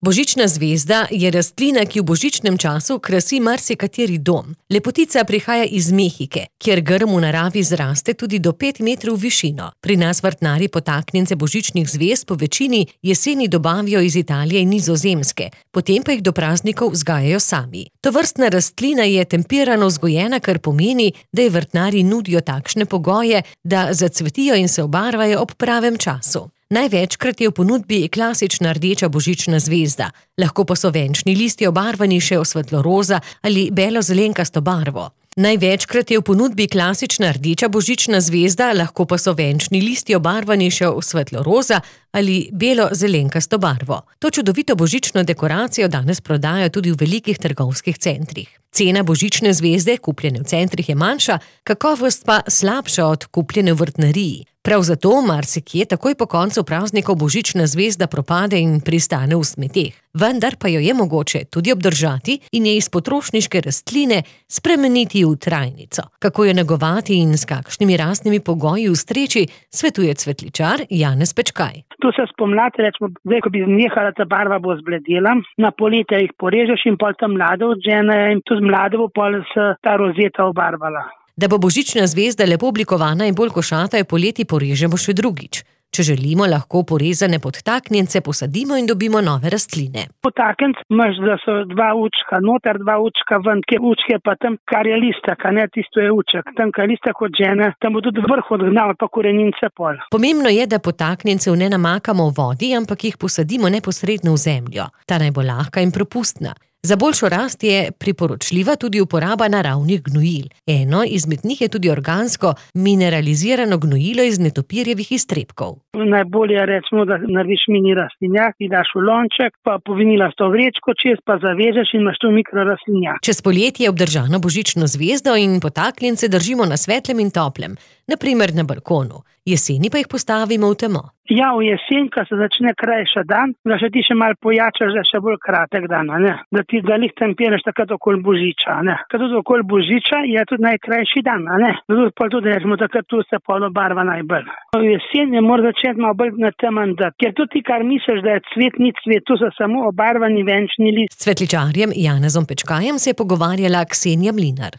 Božična zvezda je rastlina, ki v božičnem času krasi marsikateri dom. Lepotica prihaja iz Mehike, kjer grm v naravi zraste tudi do 5 metrov v višino. Pri nas vrtnarji potaknjence božičnih zvezd po večini jeseni dobavijo iz Italije in Nizozemske, potem pa jih do praznikov vzgajajo sami. Tovrstna rastlina je tempirano vzgojena, kar pomeni, da ji vrtnarji nudijo takšne pogoje, da zacvetijo in se obarvajo ob pravem času. Največkrat je v ponudbi klasična rdeča božična zvezda, lahko pa so venčni listi obarvani še v svetlo-roza ali belo-zelenkasto barvo. Največkrat je v ponudbi klasična rdeča božična zvezda, lahko pa so venčni listi obarvani še v svetlo-roza ali belo-zelenkasto barvo. To čudovito božično dekoracijo danes prodajajo tudi v velikih trgovskih centrih. Cena božične zvezde, kupljene v centrih, je manjša, kakovost pa slabša od kupljene v vrtnariji. Prav zato marsikje takoj po koncu praznikov božična zvezda propade in pristane v smeteh. Vendar pa jo je mogoče tudi obdržati in je iz potrošniške rastline spremeniti v trajnico. Kako jo negovati in s kakšnimi rastnimi pogoji ustreči, svetuje cvetličar Janez Pečkaj. Tu se spomladi, rečemo, zdaj, ko bi nehala ta barva, bo zbledela, na poletje jih porežeš in pol tam mlade odžene in tu z mlade bo pol se ta rozeta obarvala. Da bo božična zvezda lepo oblikovana in bolj košata, jo poleti porežemo še drugič. Če želimo, lahko porezane podtaknjence posadimo in dobimo nove rastline. Podtaknjenc imaš, da so 2 učka noter, 2 učka ven, kje učke pa tam, kar je listek, a ne, tisto je uček. Tam, kar listek odžene, tam bo tudi vrh odgnal, pa korenince pol. Pomembno je, da podtaknjencev ne namakamo v vodi, ampak jih posadimo neposredno v zemljo. Ta naj bo lahka in propustna. Za boljšo rast je priporočljiva tudi uporaba naravnih gnojil. Eno izmed njih je tudi organsko mineralizirano gnojilo iz netopirjevih iztrebkov. Najbolje recimo, da narediš mini rastlinjak, ti daš v lonček, pa povinilasto vrečko čez, pa zavežeš in imaš tu mikrorastlinjak. Čez poletje je obdržano božično zvezdo in podtaknjence držimo na svetlem in toplem, na primer na balkonu. Jeseni pa jih postavimo v temo. Ja, v jesen, ko se začne krajša dan, da še ti še malo pojačaš, da še bolj kratek dan, ne? Da ti ga lih tempiraš takrat okoli božiča, ne? Kad tudi okoli božiča je tudi najkrajši dan, ne? Pa tudi rečemo, takrat tu se pol obarva najbolj. V jesen je mora začeti malo bolj na temen dat, ker tudi ti, kar misliš, da je cvet, ni cvet, tu so samo obarvani venčni list. S cvetličarjem Janezom Pečkajem se je pogovarjala Ksenija Mlinar.